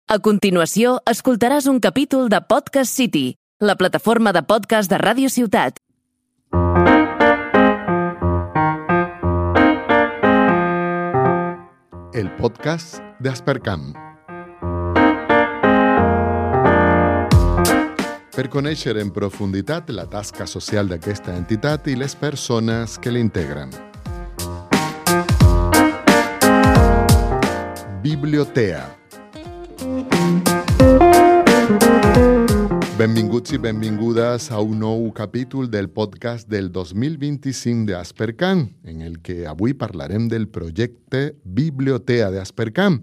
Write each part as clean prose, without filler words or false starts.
A continuació, escoltaràs un capítol de Podcast City, la plataforma de podcast de Ràdio Ciutat. El podcast d'Aspercam. Per conèixer en profunditat la tasca social d'aquesta entitat i les persones que l'integren. Bibliotea. Benvinguts i benvingudes a un nou capítol del podcast del 2025 d'Aspercam, en el que avui parlarem del projecte Bibliotea d'Aspercam.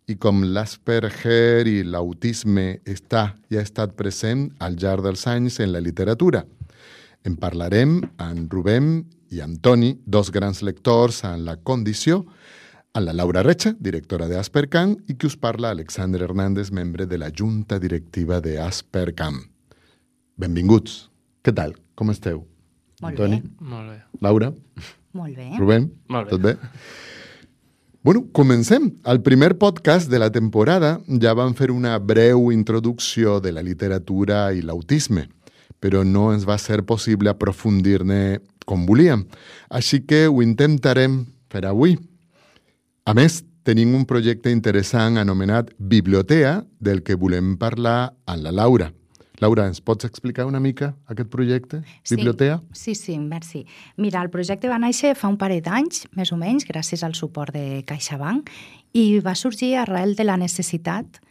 I com l'Asperger i l'autisme ha estat present al llarg dels anys en la literatura. En parlarem amb Rubén i amb Toni, dos grans lectors en la condició, a la Laura Recha, directora d'Aspercam, i qui us parla, Alexander Hernández, membre de la Junta Directiva d'Aspercam. Benvinguts. Què tal? Com esteu? Molt Toni? bé. Molt bé. Laura? Molt bé. Rubén? Molt bé. Tot bé? Bueno, comencem. Al primer podcast de la temporada ja vam fer una breu introducció de la literatura i l'autisme, però no ens va ser possible aprofundir-ne com volíem. Així que ho intentarem fer avui. A més, tenim un projecte interessant anomenat Bibliotea, del que volem parlar amb la Laura. Laura, ens pots explicar una mica aquest projecte, Bibliotea? Sí, merci. Mira, el projecte va néixer fa un parell d'anys, més o menys, gràcies al suport de CaixaBank, i va sorgir arrel de la necessitat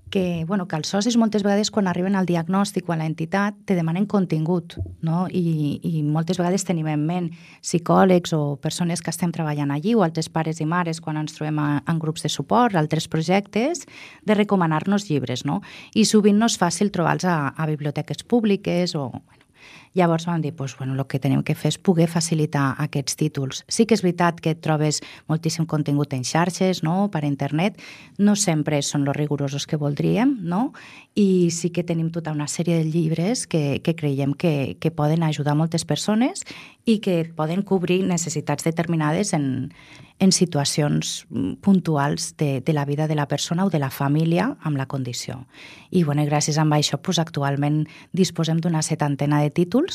que els socis moltes vegades quan arriben al diagnòstic o a l'entitat te demanen contingut, no? I moltes vegades tenim en ment psicòlegs o persones que estem treballant allí o altres pares i mares quan ens trobem en grups de suport, altres projectes, de recomanar-nos llibres, no? I sovint no és fàcil trobar-los a biblioteques públiques o... Llavors vam dir, el que tenim que fer és poder facilitar aquests títols. Sí que és veritat que trobes moltíssim contingut en xarxes, no? Per internet, no sempre són els rigorosos que voldríem, no? I sí que tenim tota una sèrie de llibres que creiem que poden ajudar moltes persones i que poden cobrir necessitats determinades en situacions puntuals de la vida de la persona o de la família amb la condició. I gràcies a això actualment disposem d'una 70 de títols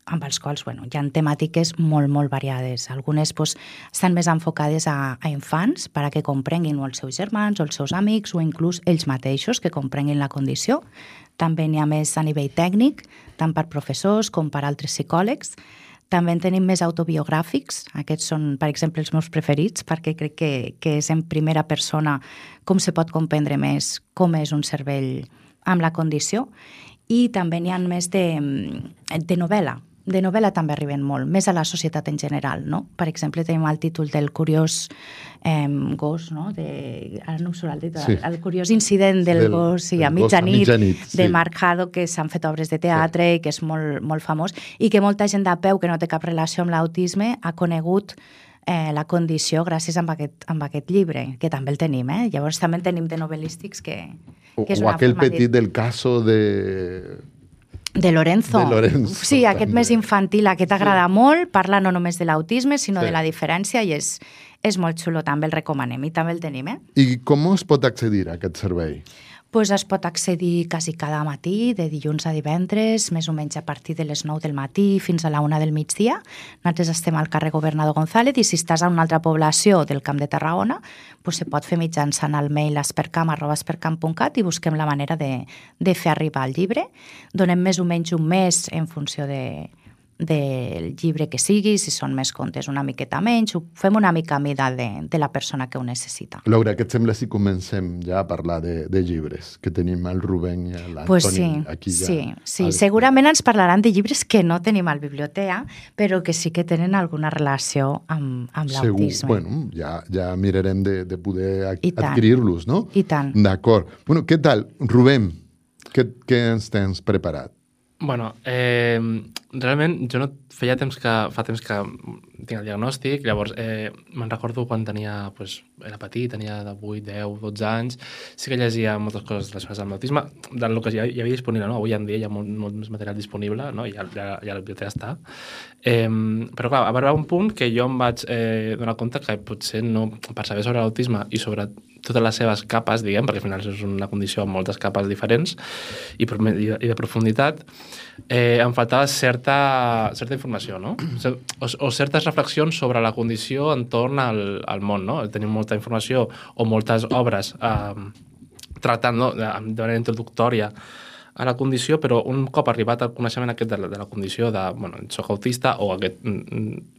amb els quals hi ha temàtiques molt variades. Algunes estan més enfocades a infants perquè comprenguin o els seus germans o els seus amics o inclús ells mateixos que comprenguin la condició. També n'hi ha més a nivell tècnic, tant per professors com per altres psicòlegs. També en tenim més autobiogràfics. Aquests són, per exemple, els meus preferits perquè crec que és en primera persona com se pot comprendre més com és un cervell amb la condició. I també n'hi ha més de novel·la. De novel·la també arriben molt, més a la societat en general, no? Per exemple, tenim el títol del curiós gos, no? Ara no em surt el títol, el curiós incident del gos a mitjanit, de Mark Haddock, que s'han fet obres de teatre i que és molt famós, i que molta gent de peu que no té cap relació amb l'autisme ha conegut la condició gràcies a aquest llibre, que també el tenim, Llavors també en tenim de novel·lístics que és una forma... O aquell petit del caso de Lorenzo. Sí, aquest més infantil, aquest agrada molt, parla no només de l'autisme, sinó de la diferència i és molt xulo, també el recomanem i també el tenim, I com es pot accedir a aquest servei? Es pot accedir quasi cada matí, de dilluns a divendres, més o menys a partir de les 9 del matí fins a la 1 del migdia. Nosaltres estem al carrer Governador González i si estàs a una altra població del Camp de Tarragona, se pot fer mitjançant el mail aspercam@aspercam.cat i busquem la manera de fer arribar el llibre. Donem més o menys un mes en funció del llibre que sigui, si són més contes una miqueta menys, ho fem una mica a mida de la persona que ho necessita. Laura, què et sembla si comencem ja a parlar de llibres, que tenim el Rubén i l'Antoni aquí ja? Sí, segurament ens parlaran de llibres que no tenim al Bibliotea, però que sí que tenen alguna relació amb l'autisme. Segur, ja mirarem de poder adquirir-los, no? I tant. D'acord. Què tal, Rubén? Què ens tens preparat? realment jo no fa temps que tinc el diagnòstic, llavors me'n recordo quan tenia, era petit, tenia de 8, 10, 12 anys, sí que llegia moltes coses relacionades amb l'autisme, del que ja hi havia disponible, no? Avui en dia hi ha molt més material disponible, no? Ja la biblioteca està. Però clar, va arribar un punt que jo em vaig donar compte que potser no, per saber sobre l'autisme i sobre totes les seves capes, diguem, perquè al final és una condició amb moltes capes diferents i de profunditat, em faltava certa informació, no? O certes reflexions sobre la condició entorn al món, no? Tenim molta informació o moltes obres tractant, no? De manera introductòria a la condició, però un cop arribat al coneixement aquest de la condició de, soc autista, o aquest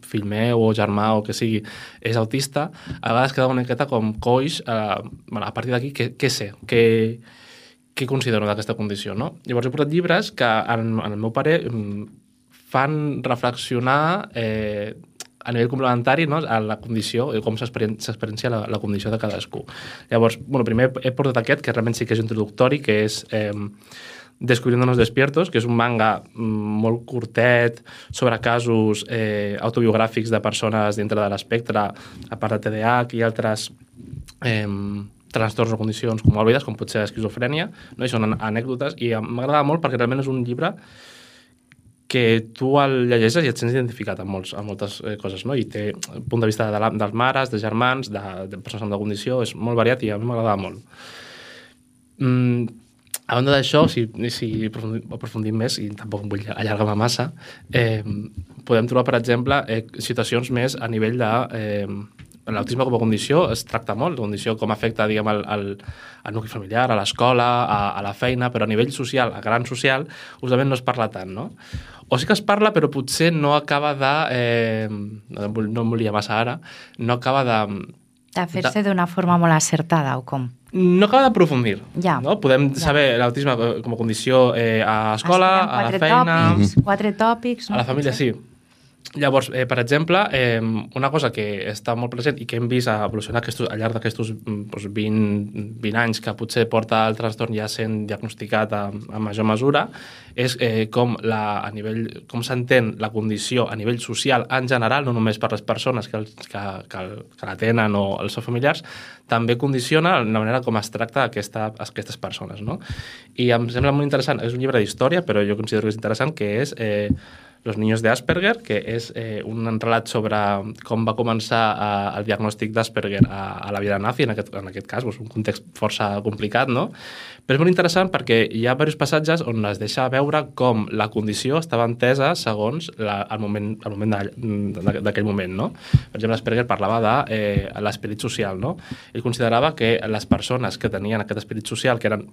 fill meu o germà o que sigui és autista, a vegades queda una miqueta com coix, a partir d'aquí, què sé? Què considero d'aquesta condició, no? Llavors he portat llibres que, en el meu pare, fan reflexionar a nivell complementari, no? A la condició, com s'experiencia la condició de cadascú. Llavors, primer he portat aquest, que realment sí que és introductori, que és Descubriéndonos despiertos, que és un manga molt curtet sobre casos autobiogràfics de persones dintre de l'espectre, a part de TDAH i altres trastorns o condicions comòrbides, com pot ser esquizofrènia, no? I són anècdotes, i m'agrada molt perquè realment és un llibre que tu el llegeixes i et sents identificat amb moltes coses, no? I té punt de vista dels mares, de germans, de persones amb la condició, és molt variat i a mi m'agrada molt. A banda d'això, si aprofundim més, i tampoc vull allargar-me massa, podem trobar, per exemple, situacions més a nivell de... L'autisme com a condició es tracta molt, la condició com afecta, diguem, al nucli familiar, a l'escola, a la feina, però a nivell social, a gran social, justament no es parla tant, no? O sí que es parla, però potser no acaba de... no em volia massa ara, no acaba de... De fer-se d'una forma molt acertada, o com? No acaba d'aprofundir. Ja. No? Podem saber l'autisme com a condició a escola, a la feina... 4 tòpics... A la família, sí. Llavors, per exemple, una cosa que està molt present i que hem vist evolucionar al llarg d'aquests 20 anys que potser porta el trastorn ja sent diagnosticat a major mesura, és com s'entén la condició a nivell social en general, no només per les persones que la tenen o els seus familiars, també condiciona la manera com es tracta aquestes persones, no? I em sembla molt interessant, és un llibre d'història, però jo considero que és interessant, que és Los niños de Asperger, que és un relat sobre com va començar el diagnòstic d'Asperger a la vida nazi, en aquest cas, un context força complicat, no? Però és molt interessant perquè hi ha diversos passatges on es deixa veure com la condició estava entesa segons el moment d'aquell moment, no? Per exemple, Asperger parlava de l'esperit social, no? Ell considerava que les persones que tenien aquest esperit social, que eren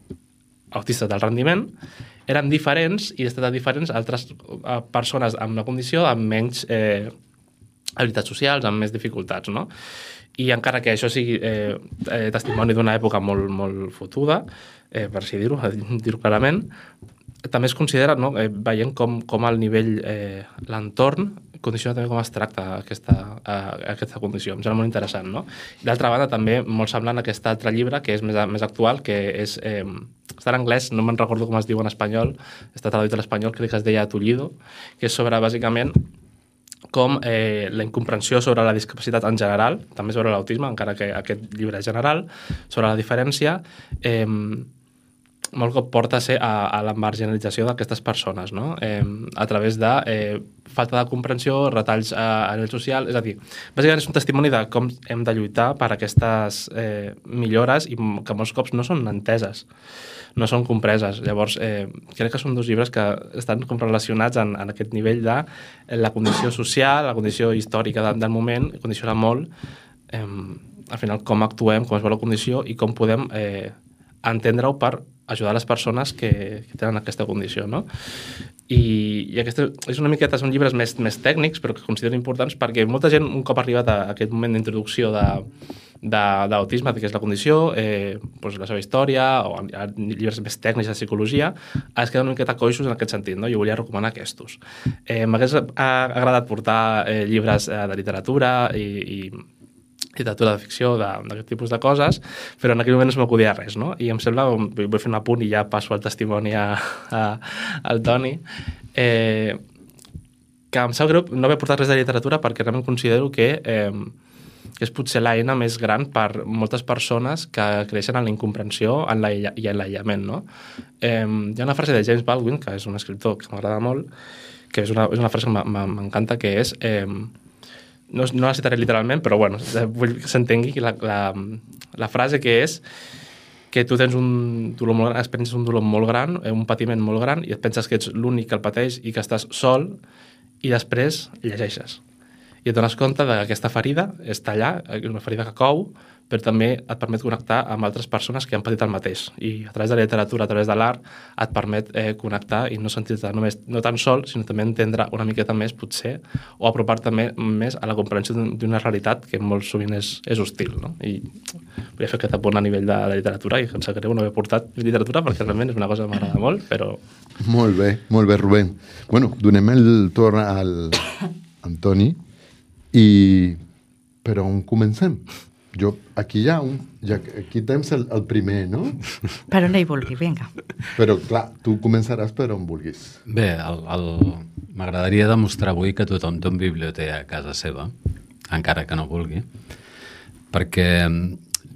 autistes del rendiment, eren diferents i estaven diferents altres persones amb una condició amb menys habilitats socials, amb més dificultats, no? I encara que això sigui testimoni d'una època molt, molt fotuda, per així dir-ho clarament, també es considera, no, veient com el nivell, l'entorn, condiciona també com es tracta aquesta condició. Em sembla molt interessant, no? D'altra banda, també molt semblant a aquest altre llibre, que és més actual, que és... està en anglès, no me'n recordo com es diu en espanyol, està traduït a l'espanyol, crec que es deia Tullido, que és sobre, bàsicament, com la incomprensió sobre la discapacitat en general, també sobre l'autisme, encara que aquest llibre és general, sobre la diferència, molt cop porta a la marginalització d'aquestes persones, no? A través de falta de comprensió, retalls a nivell social, és a dir, bàsicament és un testimoni de com hem de lluitar per aquestes millores i que molts cops no són enteses, no són compreses. Llavors, crec que són dos llibres que estan com relacionats en aquest nivell de la condició social, la condició històrica del moment, condiciona molt, al final, com actuem, com es veu la condició i com podem entendre-ho per ajudar les persones que tenen aquesta condició, no? I aquesta és una miqueta, són llibres més tècnics, però que considero importants perquè molta gent, un cop arribat a aquest moment d'introducció d'autisme, que és la condició, la seva història, o llibres més tècnics de psicologia, es queden una miqueta coixos en aquest sentit, no? Jo volia recomanar aquests. M'hagués agradat portar llibres de literatura i literatura de ficció, d'aquest tipus de coses, però en aquell moment no se m'acudia res, no? I em sembla, vull fer un apunt i ja passo el testimoni al Toni, que em sap greu no haver portat res de literatura perquè realment considero que és potser l'eina més gran per moltes persones que creixen en la incomprensió i en l'aïllament, no? Hi ha una frase de James Baldwin, que és un escriptor que m'agrada molt, que és una frase que m'encanta, que és... No la citaré literalment, però bueno, vull que s'entengui la frase que és que tu tens un dolor molt gran, experiences un dolor molt gran, un patiment molt gran, i et penses que ets l'únic que el pateix i que estàs sol, i després llegeixes. I et dones compte que aquesta ferida està allà, una ferida que cou, però també et permet connectar amb altres persones que han patit el mateix. I a través de la literatura, a través de l'art, et permet connectar i no sentir-te no tan sol, sinó també entendre una miqueta més, potser, o apropar-te més a la comprensió d'una realitat que molt sovint és hostil, no? I volia fer aquest apunt a nivell de literatura, i em sap greu no haver portat literatura, perquè realment és una cosa que m'agrada molt, però... Molt bé, Rubén. Bueno, donem el torn al Antoni, però on comencem? Aquí aquí tens el primer, no? Per on hi vulgui, vinga. Però, clar, tu començaràs per on vulguis. Bé, m'agradaria demostrar avui que tothom té un biblioteca a casa seva, encara que no vulgui, perquè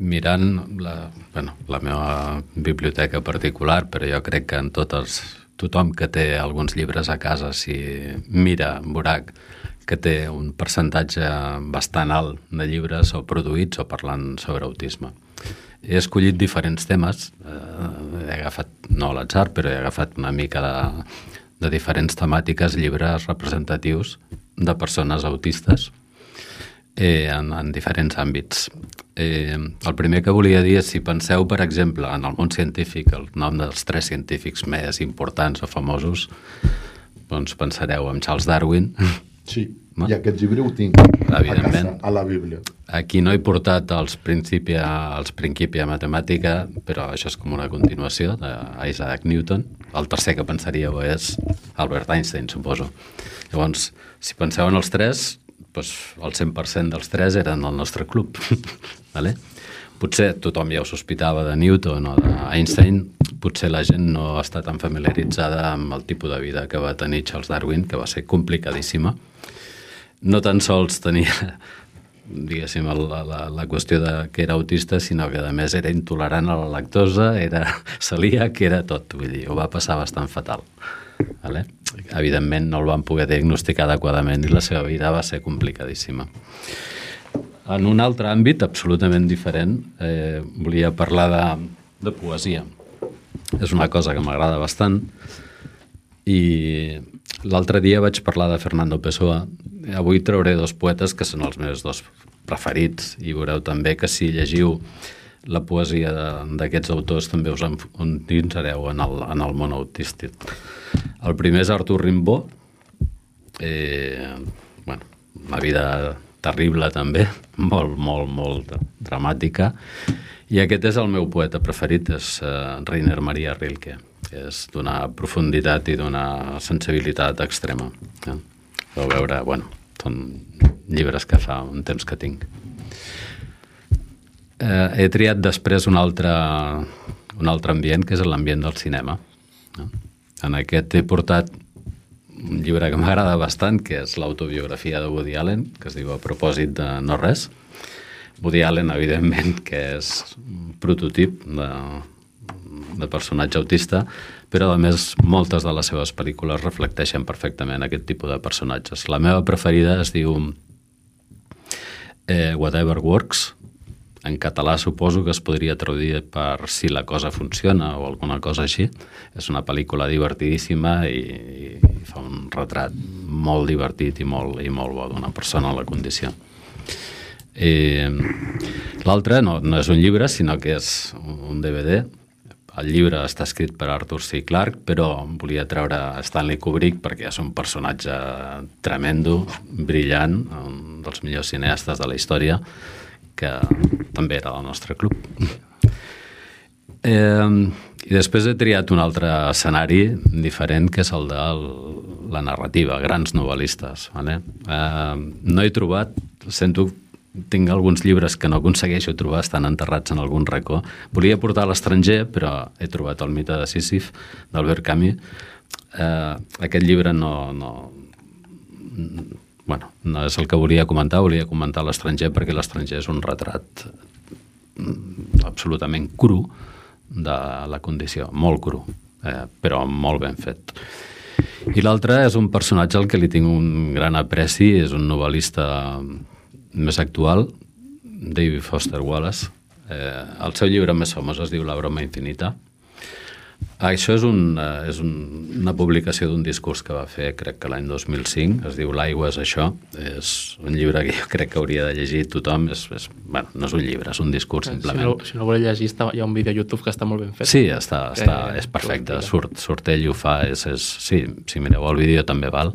mirant la meva biblioteca particular, però jo crec que en tothom que té alguns llibres a casa, si mira, veurà que té un percentatge bastant alt de llibres o produïts o parlant sobre autisme. He escollit diferents temes, he agafat, no a l'atzar, però he agafat una mica de diferents temàtiques, llibres representatius de persones autistes en diferents àmbits. El primer que volia dir és, si penseu, per exemple, en el món científic, el nom dels 3 científics més importants o famosos, doncs pensareu en Charles Darwin. Sí, no? I aquest llibre ho tinc a la Bíblia. Aquí no he portat els Principia Mathematica, però això és com una continuació d'Isaac Newton. El tercer que pensaríeu és Albert Einstein, suposo. Llavors, si penseu en els 3, doncs el 100% dels 3 eren del nostre club. Vale? Potser tothom ja ho sospitava de Newton o d'Einstein, potser la gent no està tan familiaritzada amb el tipus de vida que va tenir Charles Darwin, que va ser complicadíssima. No tan sols tenia, diguéssim, la qüestió que era autista, sinó que a més era intolerant a la lactosa, era celíac, era tot. Vull dir, ho va passar bastant fatal. Vale? Evidentment no el van poder diagnosticar adequadament i la seva vida va ser complicadíssima. En un altre àmbit absolutament diferent, volia parlar de poesia. És una cosa que m'agrada bastant i l'altre dia vaig parlar de Fernando Pessoa. Avui trauré 2 poetes que són els meus 2 preferits i veureu també que si llegiu la poesia d'aquests autors també us endinsareu en el món autístic. El primer és Arthur Rimbaud, una vida terrible també, molt dramàtica, i aquest és el meu poeta preferit, és Rainer Maria Rilke, que és d'una profunditat i d'una sensibilitat extrema. Vau veure, són llibres que fa un temps que tinc. He triat després un altre ambient, que és l'ambient del cinema. En aquest he portat un llibre que m'agrada bastant, que és l'autobiografia de Woody Allen, que es diu A propòsit de no res. Woody Allen, evidentment, que és un prototip de personatge autista, però a més moltes de les seves pel·lícules reflecteixen perfectament aquest tipus de personatges. La meva preferida es diu Whatever Works. En català suposo que es podria traduir per Si la cosa funciona o alguna cosa així. És una pel·lícula divertidíssima i fa un retrat molt divertit i molt bo d'una persona en la condició. L'altre no és un llibre, sinó que és un DVD. El llibre està escrit per Arthur C. Clarke, però volia treure Stanley Kubrick perquè és un personatge tremendo, brillant, un dels millors cineastes de la història, que també era del nostre club. I després he triat un altre escenari diferent, que és el de la narrativa, grans novel·listes. No he trobat, tinc alguns llibres que no aconsegueixo trobar, estan enterrats en algun racó. Volia portar a l'estranger, però he trobat El mite de Sísif, d'Albert Camus. Aquest llibre no bueno, no és el que volia comentar l'estranger, perquè l'estranger és un retrat absolutament cru de la condició, molt cru, però molt ben fet. I l'altre és un personatge al que li tinc un gran apreci, és un novel·lista més actual, David Foster Wallace. El seu llibre més famós es diu La broma infinita. Això és una publicació d'un discurs que va fer, crec que l'any 2005, es diu L'aigua és això. És un llibre que jo crec que hauria de llegir tothom. Bueno, no és un llibre, és un discurs, simplement. Si no voleu llegir, hi ha un vídeo a YouTube que està molt ben fet. Sí, és perfecte. Surt ell i ho fa. Sí, si mireu el vídeo també val.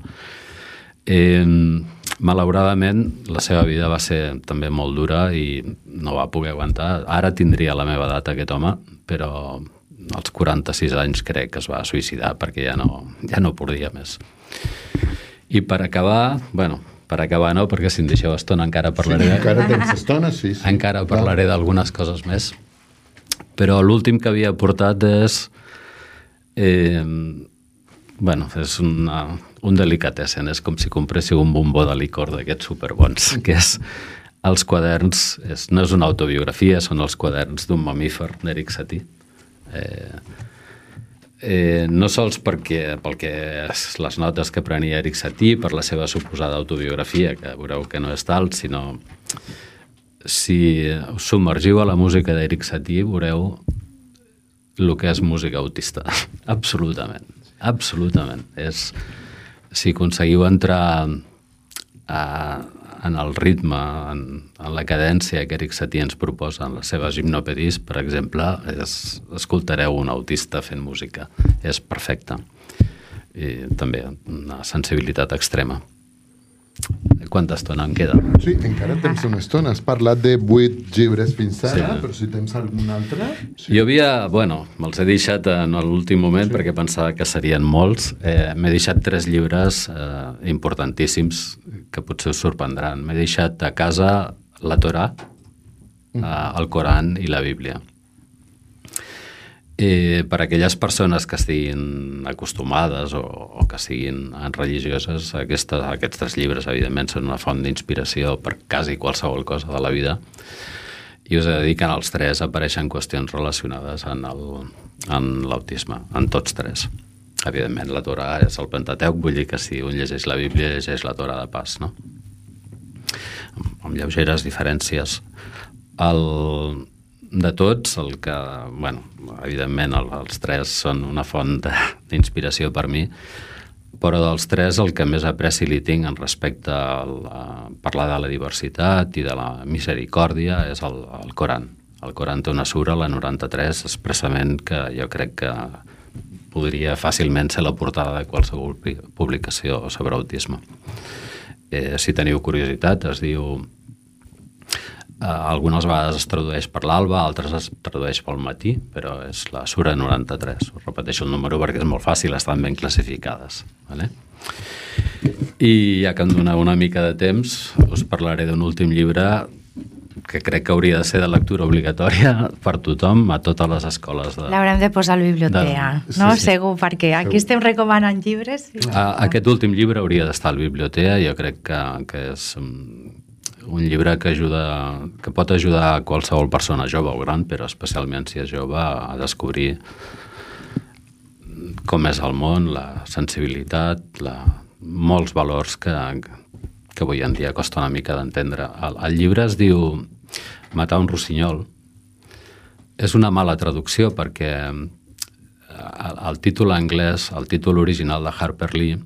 Malauradament, la seva vida va ser també molt dura i no va poder aguantar. Ara tindria la meva edat aquest home, però als 46 anys crec que es va suïcidar perquè ja no podia més. I per acabar no, perquè si em deixeu estona encara parlaré... Sí, encara tens estona, sí. Encara parlaré d'algunes coses més. Però l'últim que havia portat és... és un delicatessen, és com si compréssiu un bombó de licor d'aquests superbons, que és els quaderns, no és una autobiografia, són els quaderns d'un mamífer d'Eric Satie. No sols pel que les notes que prenia Eric Satie, per la seva suposada autobiografia, que veureu que no és tal, sinó si us submergiu a la música d'Eric Satie veureu el que és música autista. Absolutament. Si aconseguiu entrar en el ritme, en la cadència que Eric Satie ens proposa en les seves hipnopedis, per exemple, escoltareu un autista fent música. És perfecte. I també una sensibilitat extrema. Quanta estona em queda? Sí, encara tens una estona. Has parlat de 8 llibres fins ara, però si tens algun altre... Sí. Jo me'ls he deixat en l'últim moment perquè pensava que serien molts. M'he deixat 3 llibres importantíssims que potser us sorprendran. M'he deixat a casa la Torà, el Coran i la Bíblia. Per aquelles persones que estiguin acostumades o que siguin religioses, aquests 3 llibres, evidentment, són una font d'inspiració per quasi qualsevol cosa de la vida. I us he de dir que en els 3 apareixen qüestions relacionades amb l'autisme, en tots 3. Evidentment, la Torà és el Pentateuc, vull dir que si un llegeix la Bíblia, llegeix la Torà de pas, no? Amb lleugeres diferències. De tots, evidentment els 3 són una font d'inspiració per mi, però dels 3 el que més apreci li tinc en respecte a parlar de la diversitat i de la misericòrdia és el Coran. El Coran té una sura, la 93, expressament, que jo crec que podria fàcilment ser la portada de qualsevol publicació sobre autisme. Si teniu curiositat, es diu... Algunes vegades es tradueix per l'alba, altres es tradueix pel matí, però és la sura 93. Us repeteixo el número perquè és molt fàcil, estan ben classificades. Vale? I ja que em doneu una mica de temps, us parlaré d'un últim llibre que crec que hauria de ser de lectura obligatòria per tothom, a totes les escoles. L'haurem de posar a la biblioteca, no? Sí. Segur, perquè aquí estem recomanant llibres. Aquest últim llibre hauria d'estar a la biblioteca, jo crec que és... un llibre que pot ajudar a qualsevol persona jove o gran, però especialment si és jove, a descobrir com és el món, la sensibilitat, molts valors que avui en dia costa una mica d'entendre. El llibre es diu Matar un rossinyol. És una mala traducció perquè el títol anglès, el títol original de Harper Lee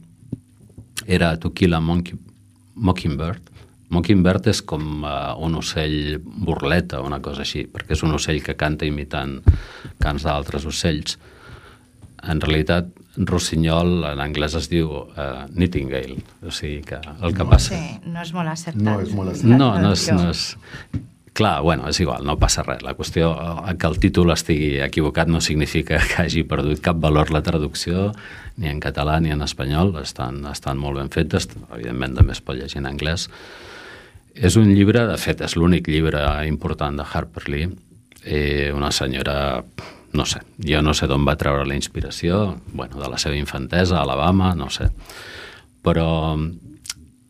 era To Kill a Mockingbird. Mockingbird és com un ocell burleta, una cosa així, perquè és un ocell que canta imitant cants d'altres ocells. En realitat, rossinyol en anglès es diu nightingale, o sigui que el que passa... Sí, no és molt acertat. No és molt acertat. No és... Clar, bueno, és igual, no passa res. La qüestió que el títol estigui equivocat no significa que hagi perdut cap valor la traducció, ni en català ni en espanyol. Estan molt ben fetes, evidentment també es pot llegir en anglès. És un llibre, de fet, és l'únic llibre important de Harper Lee. Una senyora, no sé, jo no sé d'on va treure la inspiració, bueno, de la seva infantesa, a Alabama, no sé. Però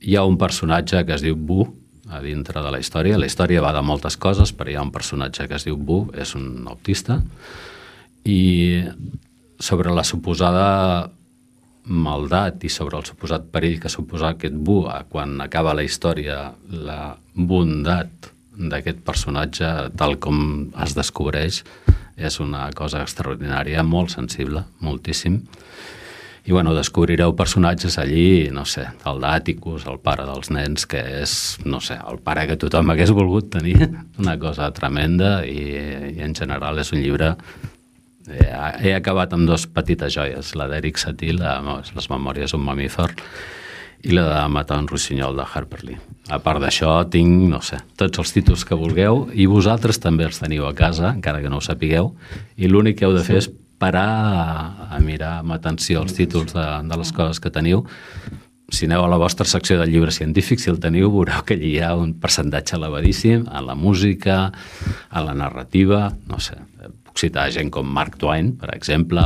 hi ha un personatge que es diu Bu a dintre de la història. La història va de moltes coses, però hi ha un personatge que es diu Bu, és un autista, i sobre la suposada maldat i sobre el suposat perill que suposa aquest Bu quan acaba la història, la bondat d'aquest personatge, tal com es descobreix, és una cosa extraordinària, molt sensible, moltíssim. I, bueno, descobrireu personatges allí, no sé, el d'Àticus, el pare dels nens, que és, no sé, el pare que tothom hagués volgut tenir, una cosa tremenda, i en general és un llibre... He acabat amb 2 petites joies, la d'Eric Satie, Les memòries d'un mamífer, i la de Matar un rossinyol de Harper Lee. A part d'això, tinc, no sé, tots els títols que vulgueu, i vosaltres també els teniu a casa, encara que no ho sapigueu, i l'únic que heu de fer és parar a mirar amb atenció els títols de les coses que teniu. Si aneu a la vostra secció de llibres científics, si el teniu, veureu que allí hi ha un percentatge elevadíssim a la música, a la narrativa, no sé, puc citar gent com Mark Twain, per exemple,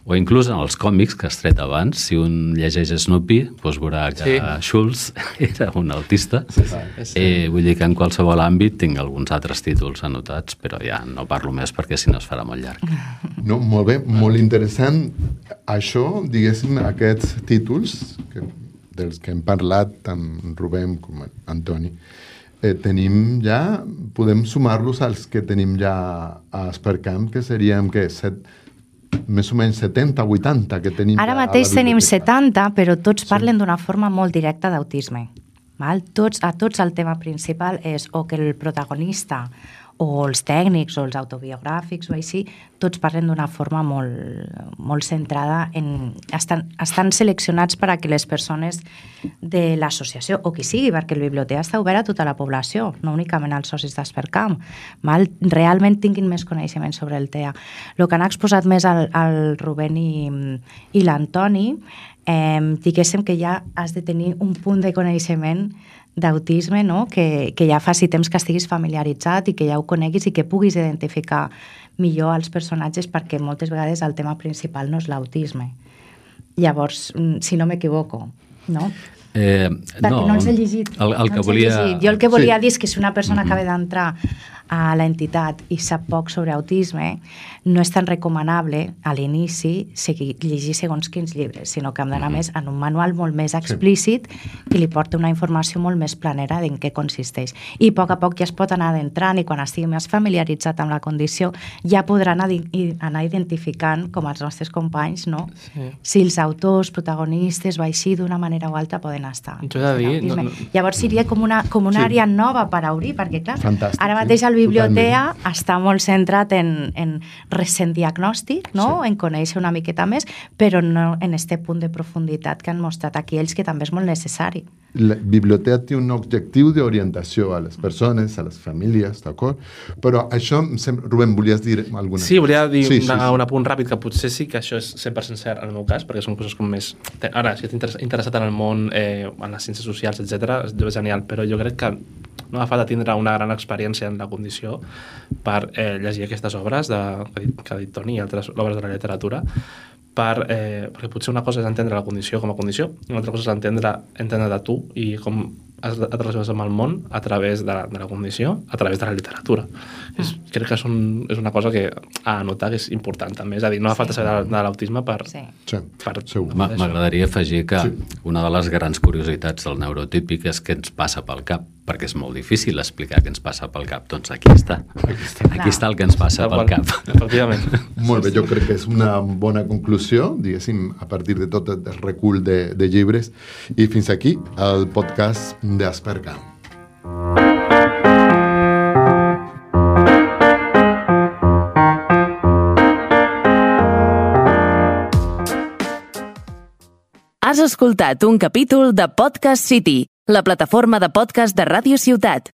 o inclús en els còmics que has tret abans. Si un llegeix Snoopy, doncs veurà que Schultz era un autista. Vull dir que en qualsevol àmbit tinc alguns altres títols anotats, però ja no parlo més perquè si no es farà molt llarg. No, molt bé, molt interessant. Això, diguéssim, aquests títols dels que hem parlat tant Rubén com Antoni, tenim ja, podem sumar-los als que tenim ja a Aspercamp, que seríem, més o menys 70, 80 que tenim. Ara mateix tenim 70, però tots parlen d'una forma molt directa d'autisme. A tots el tema principal és o que el protagonista o els tècnics o els autobiogràfics o així, tots parlen d'una forma molt centrada en... Estan seleccionats per a que les persones de l'associació, o qui sigui, perquè el biblioteca està obert a tota la població, no únicament als socis d'Aspercamp, realment tinguin més coneixement sobre el TEA. El que han exposat més el Rubén i l'Antoni, diguéssim que ja has de tenir un punt de coneixement d'autisme, no? Que ja faci temps que estiguis familiaritzat i que ja ho coneguis i que puguis identificar millor els personatges, perquè moltes vegades el tema principal no és l'autisme. Llavors, si no m'equivoco, no? Perquè no els he llegit. Jo el que volia dir és que si una persona acaba d'entrar a l'entitat i sap poc sobre autisme, no és tan recomanable a l'inici llegir segons quins llibres, sinó que hem d'anar més en un manual molt més explícit que li porta una informació molt més planera en què consisteix. I a poc ja es pot anar adentrant, i quan estigui més familiaritzat amb la condició ja podrà anar identificant, com els nostres companys, no? Si els autors, protagonistes o així d'una manera o altra poden estar. Jo he de dir... Llavors seria com una àrea nova per obrir, perquè clar, ara mateix el biblioteca està molt centrat en recent diagnòstic, no? En conèixer una miqueta més, però no en aquest punt de profunditat que han mostrat aquí ells, que també és molt necessari. La biblioteca té un objectiu d'orientació a les persones, a les famílies, d'acord? Però això, Rubén, volies dir alguna cosa? Sí, volia dir un apunt ràpid, que potser sí que això és 100% cert en el meu cas, perquè són coses com més... Ara, si ets interessat en el món, en les ciències socials, etc., és genial, però jo crec que no ha falta tindre una gran experiència en la condició per llegir aquestes obres que ha dit Toni i altres obres de la literatura, perquè potser una cosa és entendre la condició com a condició, i una altra cosa és entendre de tu i com et relaciones amb el món a través de la condició, a través de la literatura. Crec que és una cosa que a anotar que és important també, és a dir, no ha falta saber de l'autisme per... M'agradaria afegir que una de les grans curiositats del neurotípic és què ens passa pel cap, perquè és molt difícil explicar què ens passa pel cap. Doncs aquí està. Aquí està el que ens passa pel cap. Efectivament. Molt bé, jo crec que és una bona conclusió, diguéssim, a partir de tot el recull de llibres. I fins aquí el podcast d'Aspercamp. Has escoltat un capítol de Podcast City, la plataforma de podcast de Ràdio Ciutat.